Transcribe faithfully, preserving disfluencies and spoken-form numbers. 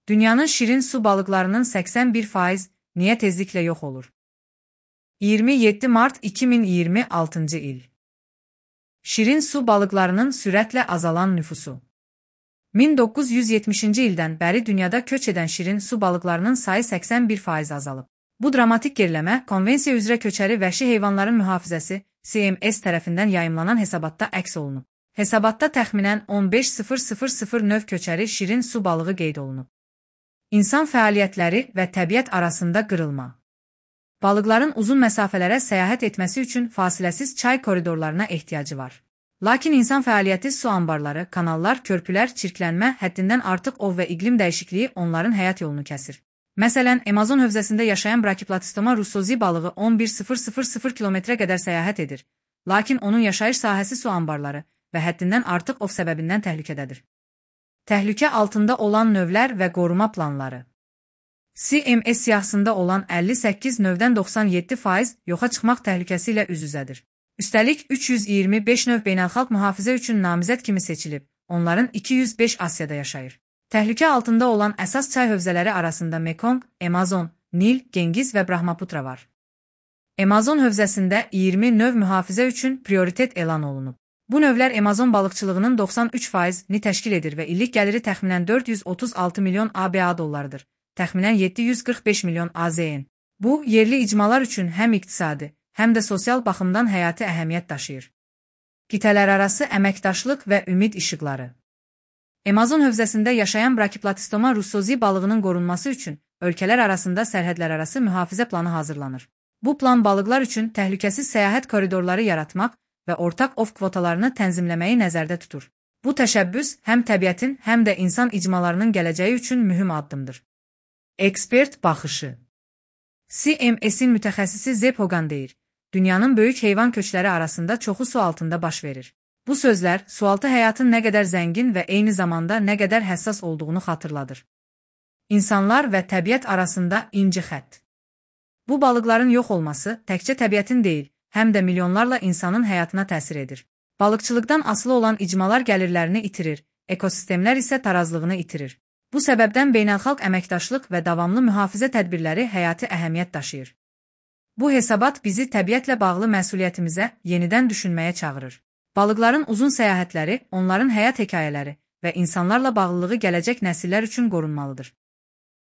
Dünyanın şirin su balıklarının seksen bir faiz niye tezlikle yok olur? iyirmi yeddi Mart iki bin iyirmi altıncı il. Şirin su balıklarının sürətlə azalan nüfusu. min doqquz yüz yetmişinci ildən bəri dünyada köç edən şirin su balıqlarının sayı seksen bir faiz azalıb. Bu dramatik geriləmə Konvensiya üzrə köçəri vəhşi heyvanların mühafizəsi C M S tərəfindən yayımlanan hesabatda əks olunub. Hesabatda təxminən on beş min növ köçəri şirin su balığı qeyd olunub. İnsan fəaliyyətləri və təbiət arasında qırılma. Balıqların uzun məsafələrə səyahət etməsi üçün fasiləsiz çay koridorlarına ehtiyacı var. Lakin insan fəaliyyəti su anbarları, kanallar, körpülər, çirklənmə, həddindən artıq ov və iqlim dəyişikliyi onların həyat yolunu kəsir. Məsələn, Amazon hövzəsində yaşayan Brachyplatystoma russozi balığı on bir min kilometrə qədər səyahət edir. Lakin onun yaşayış sahəsi su anbarları və həddindən artıq ov səbəbindən təhlükədədir. Təhlükə altında olan növlər və qoruma planları. C M S siyahısında olan əlli səkkiz növdən doxsan yeddi faiz yoxa çıxmaq təhlükəsi ilə üz-üzədir. Üstəlik, üç yüz iyirmi beş növ beynəlxalq mühafizə üçün namizəd kimi seçilib, onların iki yüz beş Asiyada yaşayır. Təhlükə altında olan əsas çay hövzələri arasında Mekong, Amazon, Nil, Gengiz və Brahmaputra var. Amazon hövzəsində iyirmi növ mühafizə üçün prioritet elan olunub. Bu növlər Amazon balıqçılığının doxsan üç faizini təşkil edir və illik gəliri təxminən dörd yüz otuz altı milyon A B A dollarıdır, təxminən yeddi yüz qırx beş milyon A Z N. Bu, yerli icmalar üçün həm iqtisadi, həm də sosial baxımdan həyati əhəmiyyət daşıyır. Qitələrarası əməkdaşlıq və ümid işıqları. Amazon hövzəsində yaşayan Brachyplatystoma russozi balığının qorunması üçün ölkələr arasında sərhədlərarası mühafizə planı hazırlanır. Bu plan balıqlar üçün təhlükəsiz səyahət koridorları yaratmaq və ortaq ov kvotalarını tənzimləməyi nəzərdə tutur. Bu təşəbbüs həm təbiətin, həm də insan icmalarının gələcəyi üçün mühüm addımdır. Ekspert baxışı. C M S'in mütəxəssisi Zeb Hogan deyir, dünyanın böyük heyvan köçləri arasında çoxu su altında baş verir. Bu sözlər, sualtı həyatın nə qədər zəngin və eyni zamanda nə qədər həssas olduğunu xatırladır. İnsanlar və təbiət arasında inci xətt. Bu balıqların yox olması təkcə təbiətin deyil, həm də milyonlarla insanın həyatına təsir edir. Balıqçılıqdan asılı olan icmalar gəlirlərini itirir, ekosistemlər isə tarazlığını itirir. Bu səbəbdən beynəlxalq əməkdaşlıq və davamlı mühafizə tədbirləri həyati əhəmiyyət daşıyır. Bu hesabat bizi təbiətlə bağlı məsuliyyətimizə yenidən düşünməyə çağırır. Balıqların uzun səyahətləri, onların həyat hekayələri və insanlarla bağlılığı gələcək nəsillər üçün qorunmalıdır.